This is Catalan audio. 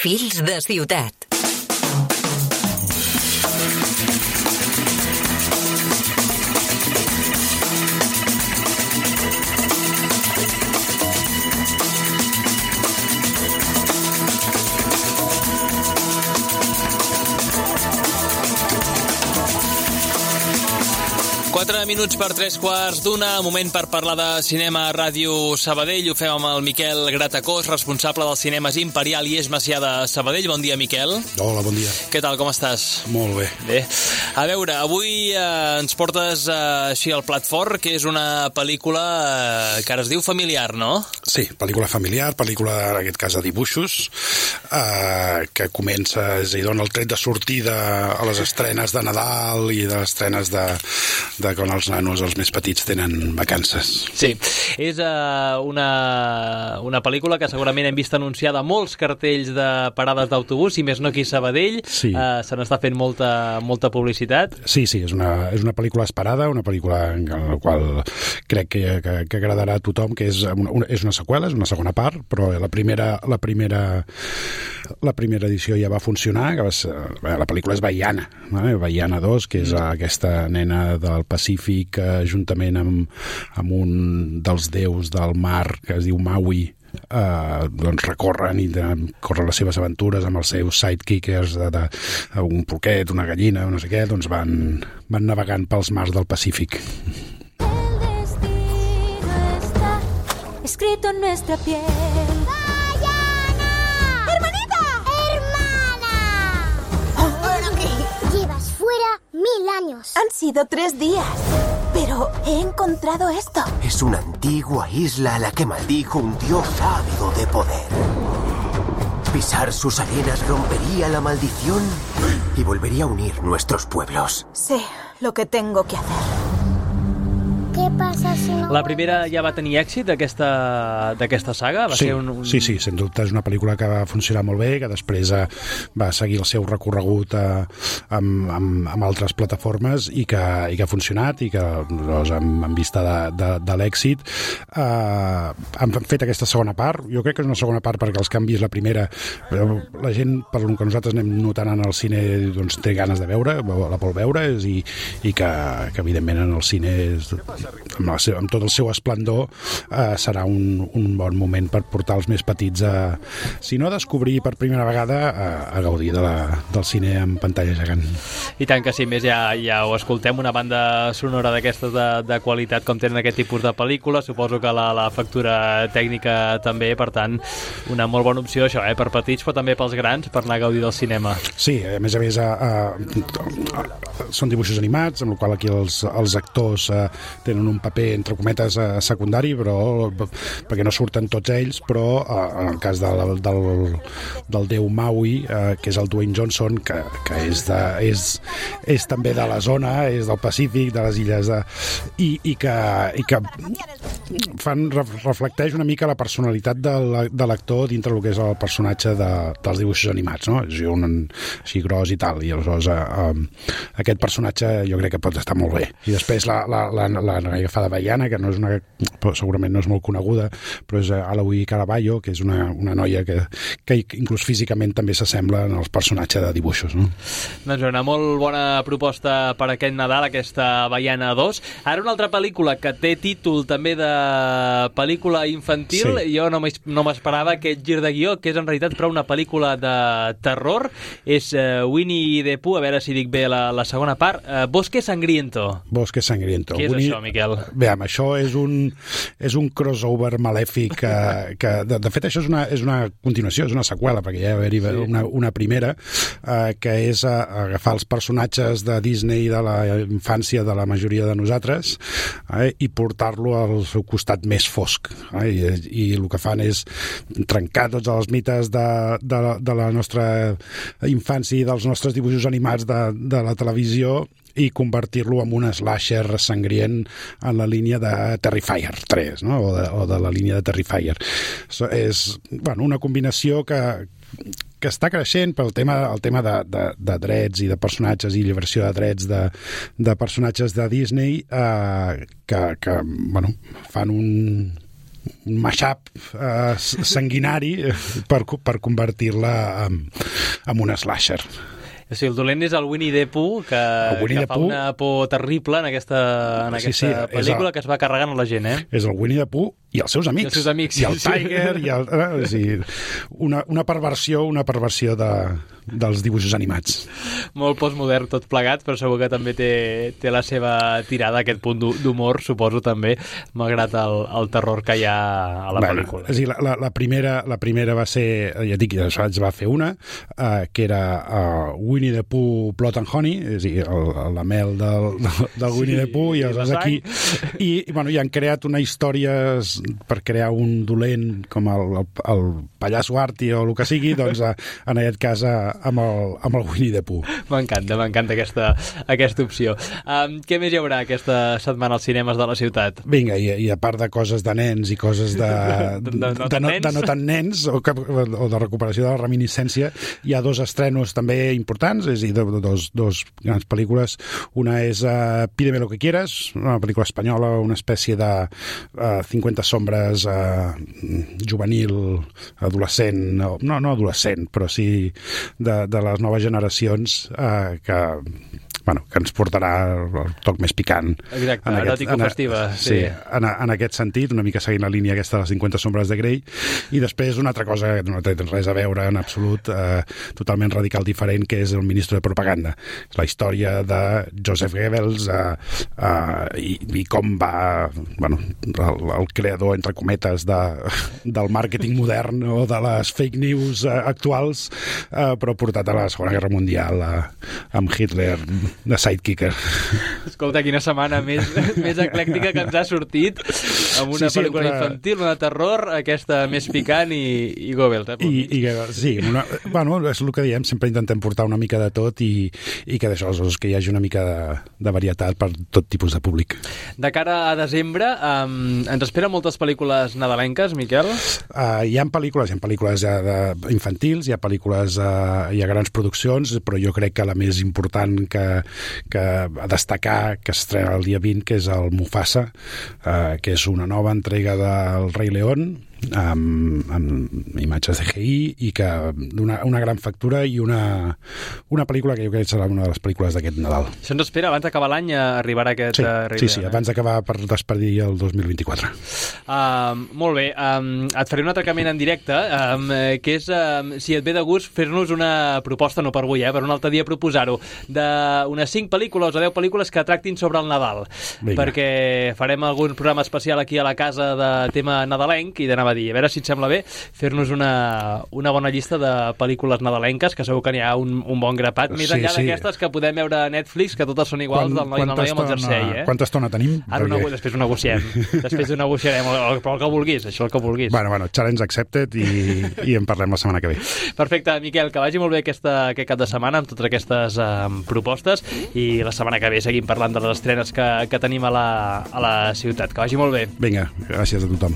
Fils de ciutat. Minuts per 3:15, moment per parlar de cinema a Ràdio Sabadell. Ho fem amb el Miquel Gratacós, responsable dels cinemes Imperial i Eix Macià de Sabadell. Bon dia, Miquel. Hola, bon dia. Què tal, com estàs? Molt bé. Bé. A veure, avui ens portes així al plat fort, que és una pel·lícula que ara es diu familiar, no? Sí, pel·lícula familiar, pel·lícula, en aquest cas, de dibuixos, que comença, és a dir, dona el tret de sortida a les estrenes de Nadal i de les estrenes de quan els nanos, els més petits, tenen vacances. Sí, és una pel·lícula que segurament hem vist anunciada a molts cartells de parades d'autobús, i més no aquí a Sabadell. Sí. Se n'està fent molta publicitat. Sí, és una pel·lícula esperada, una pel·lícula en la qual crec que agradarà a tothom, que és una seqüela, és una segona part, però la primera edició ja va funcionar, que va ser, la pel·lícula és Vaiana, Vaiana 2, que és aquesta nena del Pacífic, juntament amb un dels déus del mar que es diu Maui, doncs recorren les seves aventures amb els seus sidekicks, un porquet, una gallina, no sé què, doncs van navegant pels mars del Pacífic. El destino está escrito en nuestra piel. ¡Vayana! ¡Hermanita! ¡Hermana! Llevas fuera 1000 años. Han sido 3 días, pero he encontrado esto. Es una antigua isla a la que maldijo un dios ávido de poder. Pisar sus arenas rompería la maldición y volvería a unir nuestros pueblos. Sé lo que tengo que hacer. Què passa si no... La primera ja va tenir èxit, d'aquesta saga? Sí, sens dubte és una pel·lícula que va funcionar molt bé, que després va seguir el seu recorregut amb altres plataformes i que ha funcionat i que doncs, en vista de l'èxit han fet aquesta segona part. Jo crec que és una segona part perquè els canvis, la primera, la gent, per lo que nosaltres anem notant en el cine, doncs, té ganes de veure, la vol veure, i que evidentment en el cine amb tot el seu esplendor serà un bon moment per portar els més petits si no a descobrir per primera vegada, a gaudir del cine en pantalla gegant. I tant que sí, més ja ho escoltem, una banda sonora d'aquestes de qualitat com tenen aquest tipus de pel·lícula, suposo que la factura tècnica també, per tant una molt bona opció això, per petits però també pels grans, per anar a gaudir del cinema. Sí, a més són dibuixos animats, amb el qual aquí els actors tenen un paper entre cometes secundari, però perquè no surten tots ells, però en el cas del déu Maui, que és el Dwayne Johnson, que és també de la zona, és del Pacífic, de les illes i que reflecteix una mica la personalitat de l'actor dintre del que és el personatge dels dibuixos animats, no? És un així gros i tal, i aleshores aquest personatge jo crec que pot estar molt bé. I després la noia que fa de Vaiana, que segurament no és molt coneguda, però és Alawi Caraballo, que és una noia que inclús físicament també s'assembla als personatges de dibuixos, no? Doncs una molt bona proposta per aquest Nadal, aquesta Vaiana 2. Ara una altra pel·lícula que té títol també de pel·lícula infantil. Sí. Jo no m'esperava aquest gir de guió, que és en realitat però una pel·lícula de terror. És Winnie the Pooh, a veure si dic bé la segona part, Bosque Sangriento. Bosque Sangriento. Què és això, Miquel? Bé, això és un crossover malèfic que de fet això és una continuació, és una seqüela, perquè ja va haver-hi una primera que és agafar els personatges de Disney de la infància de la majoria de nosaltres i portar-lo al seu costat més fosc, i el que fan és trencar tots els mites de la nostra infància i dels nostres dibuixos animats de la televisió i convertir-lo en un slasher sangrient en la línia de Terrifier 3, no? o de la línia de Terrifier. És una combinació que està creixent pel tema de drets i de personatges i lliberació de drets de personatges de Disney que fan mashup sanguinari per convertir-la en una slasher. O sigui, el dolent és el Winnie the Pooh, que fa una por terrible en aquesta pel·lícula, que es va carregant a la gent, eh? És el Winnie the Pooh i els seus amics. I el Tiger, una perversió dels dibuixos animats. Molt postmodern tot plegat, però segur que també té la seva tirada, aquest punt d'humor, suposo també, malgrat el terror que hi ha a la pel·lícula. És a dir, la primera va ser, ja dic, es va fer una, que era Winnie the Pooh Blood and Honey, és a dir, la mel del Winnie the Pooh, i aleshores aquí i han creat una història per crear un dolent com el pallasso Arti o el que sigui, doncs en aquest cas amb el Winnie the Pooh. M'encanta aquesta opció. Què més hi haurà aquesta setmana als cinemes de la ciutat? Vinga, i a part de coses de nens i coses de no tan nens o de recuperació de la reminiscència, hi ha 2 estrenos també importants, és a dir, dos grans pel·lícules. Una és Pídeme lo que quieras, una pel·lícula espanyola, una espècie de 50 sombres juvenil, adolescent, no adolescent, però sí de les noves generacions que ens portarà el toc més picant. Exacte, eròtico-festiva. Sí, en aquest sentit, una mica seguint la línia aquesta de les 50 sombres de Grey. I després una altra cosa que no té res a veure en absolut, totalment radical diferent, que és El ministro de propaganda. La història de Joseph Goebbels i com va el creador, entre cometes, del màrqueting modern o de les fake news actuals, però portat a la Segona Guerra Mundial amb Hitler de sidekicker. Escolta, quina setmana més eclèctica que ens ha sortit, amb una pel·lícula infantil, una de terror, aquesta més picant i Goebbels. Sí, és el que diem, sempre intentem portar una mica de tot i que d'això, que hi hagi una mica de varietat per tot tipus de públic. De cara a desembre, ens esperen moltes pel·lícules nadalenques, Miquel? Hi ha pel·lícules infantils, hi ha pel·lícules, hi ha grans produccions, però jo crec que la més important que a destacar, que s'estrena el dia 20, que és el Mufasa, que és una nova entrega del Rei León, amb imatges de CGI i que d'una gran factura i una pel·lícula que jo crec que serà una de les pel·lícules d'aquest Nadal. Això ens espera, abans d'acabar l'any arribarà aquest... Sí, abans d'acabar per despedir el 2024. Molt bé, et faré un atracament en directe, que és, si et ve de gust, fer-nos una proposta, no per avui, per un altre dia proposar-ho, d'unes 5 pel·lícules o 10 pel·lícules que tractin sobre el Nadal. Vinga. Perquè farem algun programa especial aquí a la casa de tema nadalenc i d'anar a dir, a veure si et sembla bé fer-nos una bona llista de pel·lícules nadalenques, que segur que n'hi ha un bon grapat, més enllà d'aquestes que podem veure a Netflix, que totes són iguals, del noi i el noi amb el jersei. Quanta estona tenim? Després ho negociem. Després ho negociarem, però el que vulguis, això el que vulguis. Bueno, challenge accepted i en parlem la setmana que ve. Perfecte, Miquel, que vagi molt bé aquest cap de setmana amb totes aquestes propostes i la setmana que ve seguim parlant de les estrenes que tenim a la ciutat. Que vagi molt bé. Vinga, gràcies a tothom.